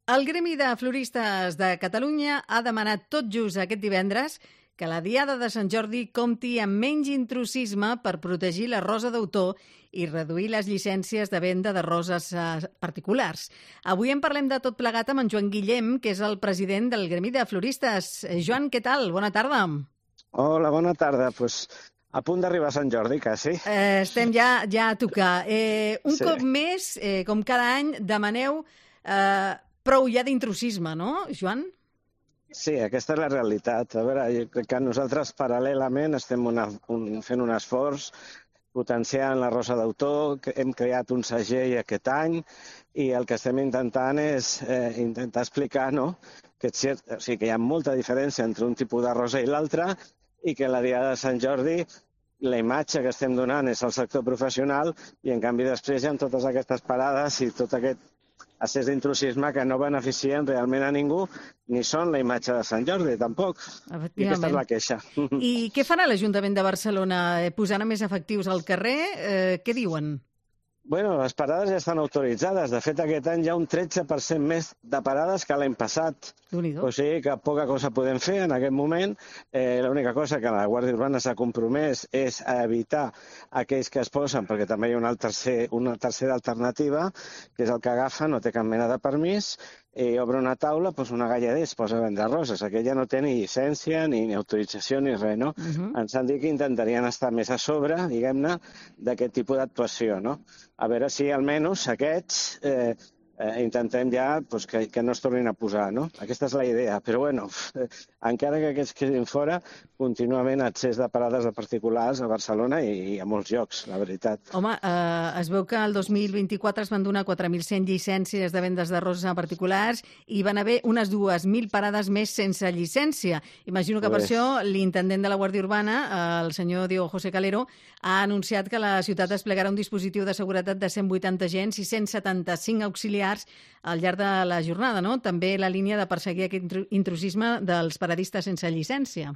El Gremi de Floristes de Catalunya ha demanat tot just aquest divendres que la Diada de Sant Jordi compti amb menys intrusisme per protegir la rosa d'autor i reduir les llicències de venda de roses particulars. Avui en parlem de tot plegat amb en Joan Guillem, que és el president del Gremi de Floristes. Joan, què tal? Bona tarda. Hola, bona tarda. A punt d'arribar a Sant Jordi, quasi. Estem ja a tocar. Cop més, com cada any, demaneu prou ja d'intrusisme, no, Joan? Sí, aquesta és la realitat. A veure, jo crec que nosaltres paral·lelament estem fent un esforç potenciant la rosa d'autor, hem creat un segell aquest any i el que estem intentant és intentar explicar, no?, que hi ha molta diferència entre un tipus de rosa i l'altre i que la Diada de Sant Jordi la imatge que estem donant és al sector professional i en canvi després hi ha totes aquestes parades i tot aquest excés d'intrusisme que no beneficien realment a ningú, ni són la imatge de Sant Jordi, tampoc. I aquesta és la queixa. I què farà l'Ajuntament de Barcelona? Posant més efectius al carrer? Què diuen? Bueno, les parades ja estan autoritzades. De fet, aquest any hi ha un 13% més de parades que l'any passat. O sigui que poca cosa podem fer en aquest moment. L'única cosa que la Guàrdia Urbana s'ha compromès és a evitar aquells que es posen, perquè també hi ha una tercera alternativa, que és el que agafa, no té cap mena de permís, i obre una taula, una gallader es posa a vendre roses. Aquella no té ni llicència, ni autorització, ni res, no? Ens han dit que intentarien estar més a sobre, diguem-ne, d'aquest tipus d'actuació, no? A veure si almenys aquests intentem ja que no es tornin a posar, no? Aquesta és la idea. Però, bueno, encara que aquests quedin fora, contínuament accés de parades de particulars a Barcelona i a molts llocs, la veritat. Home, es veu que el 2024 es van donar 4.100 llicències de vendes de roses a particulars i van haver unes 2.000 parades més sense llicència. Imagino que per això l'intendent de la Guàrdia Urbana, el senyor Diego José Calero, ha anunciat que la ciutat desplegarà un dispositiu de seguretat de 180 agents i 175 auxiliars al llarg de la jornada, no? També la línia de perseguir aquest intrusisme dels paradistes sense llicència.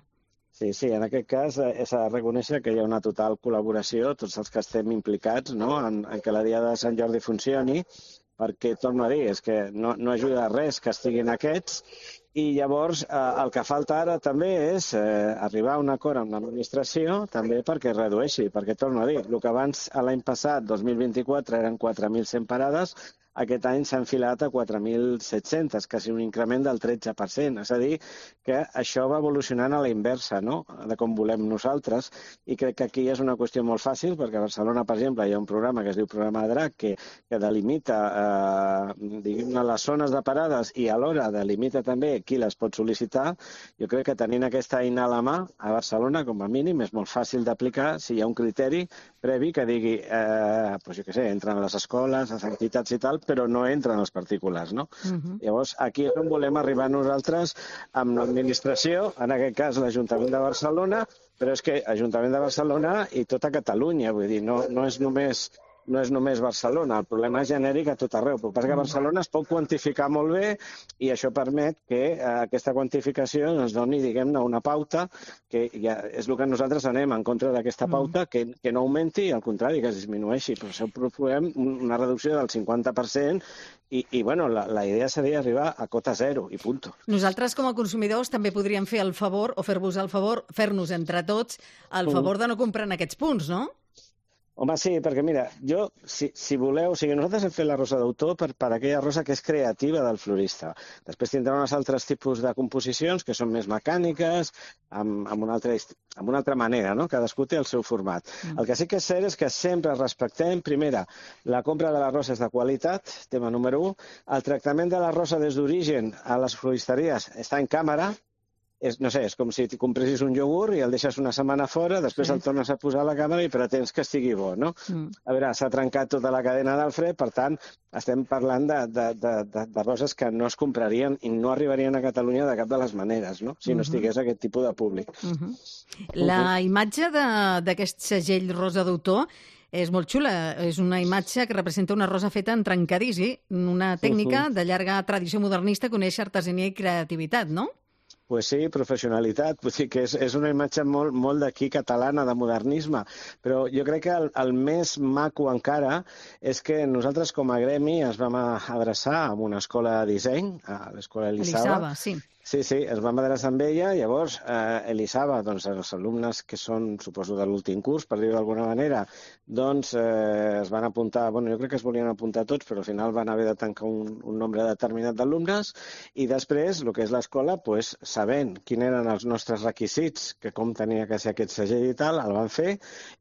Sí, en aquest cas s'ha de reconèixer que hi ha una total col·laboració, tots els que estem implicats, no?, en que la Diada de Sant Jordi funcioni, perquè, torno a dir, és que no ajuda a res que estiguin aquests, i llavors el que falta ara també és arribar a un acord amb l'administració també perquè redueixi, perquè, torno a dir, el que abans l'any passat, 2024, eren 4.100 parades, aquest any s'ha enfilat a 4.700, quasi un increment del 13%. És a dir, que això va evolucionant a la inversa, no?, de com volem nosaltres, i crec que aquí és una qüestió molt fàcil, perquè a Barcelona, per exemple, hi ha un programa que es diu Programa DRAC, que delimita diguem-ne les zones de parades i alhora delimita també qui les pot sol·licitar. Jo crec que tenint aquesta eina a la mà, a Barcelona, com a mínim, és molt fàcil d'aplicar si hi ha un criteri previ que digui, jo què sé, entren a les escoles, les entitats i tal, però no entren els particulars, no? Llavors, aquí és on volem arribar nosaltres amb l'administració, en aquest cas l'Ajuntament de Barcelona, però és que Ajuntament de Barcelona i tota Catalunya, vull dir, no és només Barcelona, el problema és genèric a tot arreu. El que passa que a Barcelona es pot quantificar molt bé i això permet que aquesta quantificació ens doni, diguem-ne, una pauta, que ja és el que nosaltres anem en contra d'aquesta pauta, que no augmenti, al contrari, que es disminueixi. Per això proposem una reducció del 50% i bueno, la idea seria arribar a cota zero i punt. Nosaltres, com a consumidors, també podríem fer el favor, o fer-vos el favor, fer-nos entre tots el favor de no comprar en aquests punts, no? Home, sí, perquè mira, jo, si voleu, nosaltres hem fet la rosa d'autor per aquella rosa que és creativa del florista. Després tindrà uns altres tipus de composicions que són més mecàniques, amb una altra manera, no? Cadascú té el seu format. El que sí que és cert és que sempre respectem, primera, la compra de la rosa és de qualitat, tema número 1, el tractament de la rosa des d'origen a les floristeries està en càmera. No sé, és com si compressis un iogurt i el deixes una setmana fora, després el tornes a posar a la càmera i pretens que estigui bo, no? A veure, s'ha trencat tota la cadena del fred, per tant, estem parlant de roses que no es comprarien i no arribarien a Catalunya de cap de les maneres, no?, si no estigués aquest tipus de públic. La imatge d'aquest segell rosa d'autor és molt xula. És una imatge que representa una rosa feta en trencadís, una tècnica de llarga tradició modernista que uneix artesania i creativitat, no? Pues sí, professionalitat. Vull dir que és una imatge molt d'aquí catalana, de modernisme. Però jo crec que el més maco encara és que nosaltres com a gremi es vam adreçar a una escola de disseny, a l'escola Elisava. Sí. Sí, es vam adreçar amb ella, llavors Elisava, doncs els alumnes que són, suposo, de l'últim curs, per dir-ho d'alguna manera, doncs es van apuntar, jo crec que es volien apuntar tots, però al final van haver de tancar un nombre determinat d'alumnes, i després, el que és l'escola, doncs, sabent quins eren els nostres requisits, que com tenia que ser aquest segell i tal, el van fer,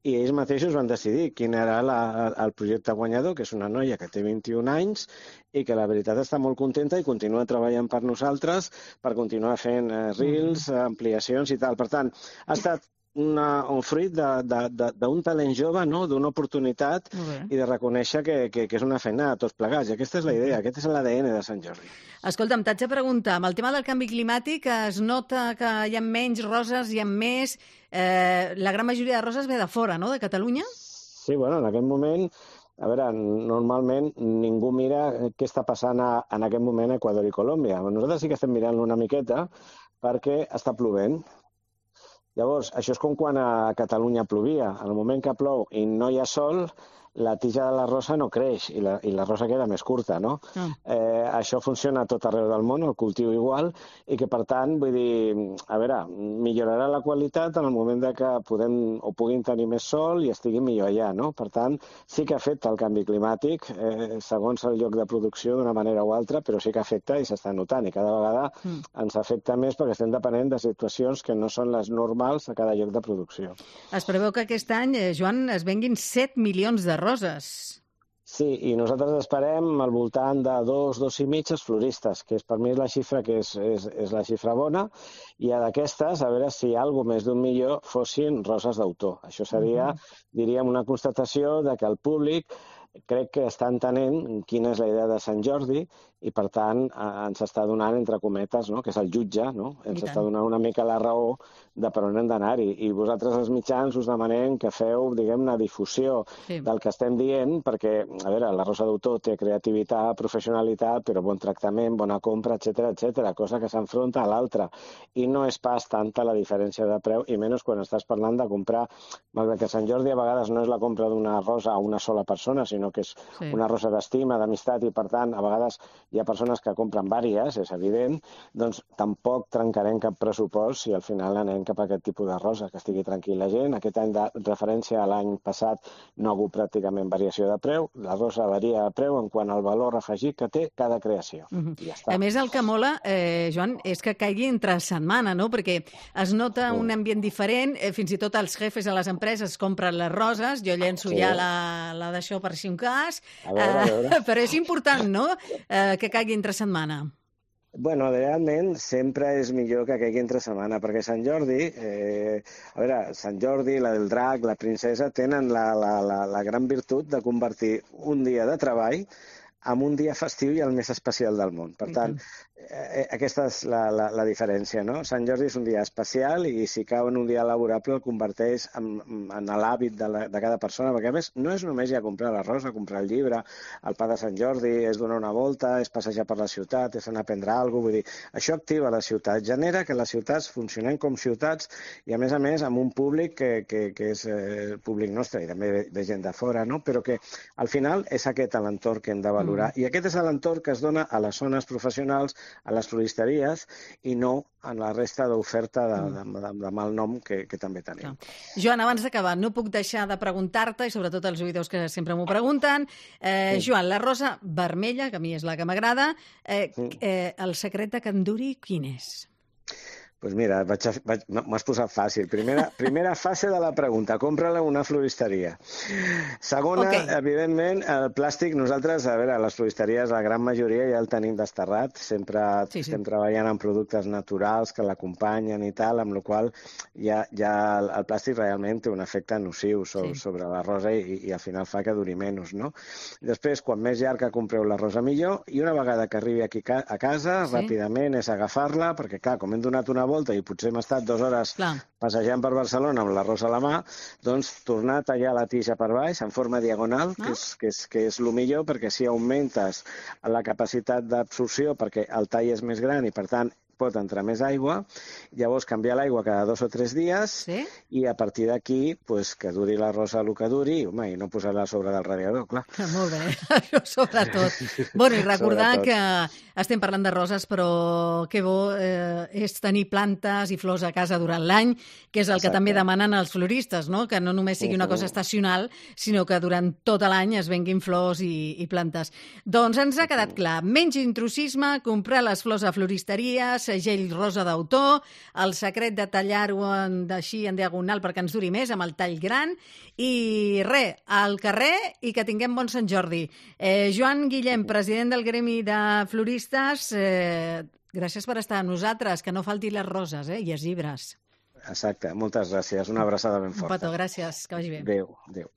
i ells mateixos van decidir quin era el projecte guanyador, que és una noia que té 21 anys, i que la veritat està molt contenta i continua treballant per nosaltres per continuar fent reels, ampliacions i tal. Per tant, ha estat un fruit d'un talent jove, no? D'una oportunitat i de reconèixer que és una feina de tots plegats. I aquesta és la idea, aquest és l'ADN de Sant Jordi. Escolta'm, t'haig de preguntar, amb el tema del canvi climàtic es nota que hi ha menys roses, hi ha més... La gran majoria de roses ve de fora, no?, de Catalunya? Sí, en aquest moment... A veure, normalment ningú mira què està passant en aquest moment a Equador i Colòmbia. Nosaltres sí que estem mirant una miqueta perquè està plovent. Llavors, això és com quan a Catalunya plovia. En el moment que plou i no hi ha sol, la tija de la rosa no creix i la rosa queda més curta, no? Això funciona a tot arreu del món, el cultiu igual, i que, per tant, vull dir, a veure, millorarà la qualitat en el moment que puguin tenir més sol i estigui millor allà, no? Per tant, sí que afecta el canvi climàtic, segons el lloc de producció d'una manera o altra, però sí que afecta i s'està notant, i cada vegada ens afecta més perquè estem depenent de situacions que no són les normals a cada lloc de producció. Es preveu que aquest any, Joan, es venguin 7 milions de roses. Sí, i nosaltres esperem al voltant de 2 i mig els floristes, que per mi és la xifra que és la xifra bona, i d'aquestes, a veure si alguna més d'1 milió fossin roses d'autor. Això seria, diríem, una constatació de que el públic crec que està entenent quina és la idea de Sant Jordi i, per tant, ens està donant, entre cometes, no?, que és el jutge, no?, ens està donant una mica la raó de per on hem d'anar-hi. I vosaltres, els mitjans, us demanem que feu, diguem-ne, difusió del que estem dient, perquè, a veure, la rosa d'autor té creativitat, professionalitat, però bon tractament, bona compra, etcètera, cosa que s'enfronta a l'altra. I no és pas tanta la diferència de preu, i menys quan estàs parlant de comprar, malgrat que Sant Jordi a vegades no és la compra d'una rosa a una sola persona, sinó que és una rosa d'estima, d'amistat, i per tant, a vegades hi ha persones que compren vàries, és evident, doncs tampoc trencarem cap pressupost si al final anem cap a aquest tipus de rosa, que estigui tranquil la gent. Aquest any de referència a l'any passat no ha hagut pràcticament variació de preu, la rosa varia de preu en quant al valor afegit que té cada creació. I ja està. A més, el que mola, Joan, és que caigui entre setmana, no?, perquè es nota un ambient diferent, fins i tot els jefes a les empreses compren les roses, jo llenço ja la d'això per si un cas, a veure. Però és important, no?, que caigui entre setmana. Bueno, realment sempre és millor que caigui entre setmana, perquè Sant Jordi, a veure, Sant Jordi, la del drac, la princesa, tenen la gran virtut de convertir un dia de treball en un dia festiu i el més especial del món. Per tant, aquesta és la diferència, no? Sant Jordi és un dia especial i si cau en un dia laborable el converteix en l'hàbit de cada persona, perquè a més no és només ja comprar la rosa, comprar el llibre, el pa de Sant Jordi, és donar una volta, és passejar per la ciutat, és anar a prendre alguna cosa, vull dir, això activa la ciutat, genera que les ciutats funcionen com ciutats i a més amb un públic que és el públic nostre i també de gent de fora, no? Però que al final és aquest l'entorn que hem de valorar i aquest és l'entorn que es dona a les zones professionals, a les floristeries i no en la resta d'oferta de mal nom que també tenim. Joan, abans d'acabar, no puc deixar de preguntar-te, i sobretot els oïdors que sempre m'ho pregunten, Joan, la rosa vermella, que a mi és la que m'agrada, el secret de que en duri quin és? Doncs mira, m'has posat fàcil. Primera fase de la pregunta, compra-la una floristeria. Segona, evidentment, el plàstic, nosaltres, a veure, les floristeries, la gran majoria ja el tenim desterrat, sempre estem treballant amb productes naturals que l'acompanyen i tal, amb la qual ja el plàstic realment té un efecte nociu sobre la rosa i al final fa que duri menys, no? Després, quan més llarg que compreu la rosa millor, i una vegada que arribi aquí a casa, ràpidament és agafar-la, perquè clar, com hem donat una volta i potser hem estat 2 hores passejant per Barcelona amb la rosa a la mà, doncs tornar a tallar la tija per baix en forma diagonal, que és el millor, perquè si augmentes la capacitat d'absorció, perquè el tall és més gran i per tant pot entrar més aigua, llavors canviar l'aigua cada 2 o 3 dies i a partir d'aquí pues, que duri la rosa el que duri i no posar-la a sobre del radiador, clar. Molt bé, això sobretot. Bueno, i recordar que estem parlant de roses, però que bo és tenir plantes i flors a casa durant l'any, que és el que també demanen els floristes, no? Que no només sigui una cosa estacional, sinó que durant tot l'any es venguin flors i plantes. Doncs ens ha quedat clar, menys intrusisme, comprar les flors a floristeria, segell rosa d'autor, el secret de tallar-ho així en diagonal perquè ens duri més, amb el tall gran, i res, al carrer i que tinguem bon Sant Jordi. Joan Guillem, president del Gremi de Floristes, gràcies per estar amb nosaltres, que no faltin les roses i els llibres. Exacte, moltes gràcies. Una abraçada ben forta. Un petó, gràcies, que vagi bé. Adéu, adéu.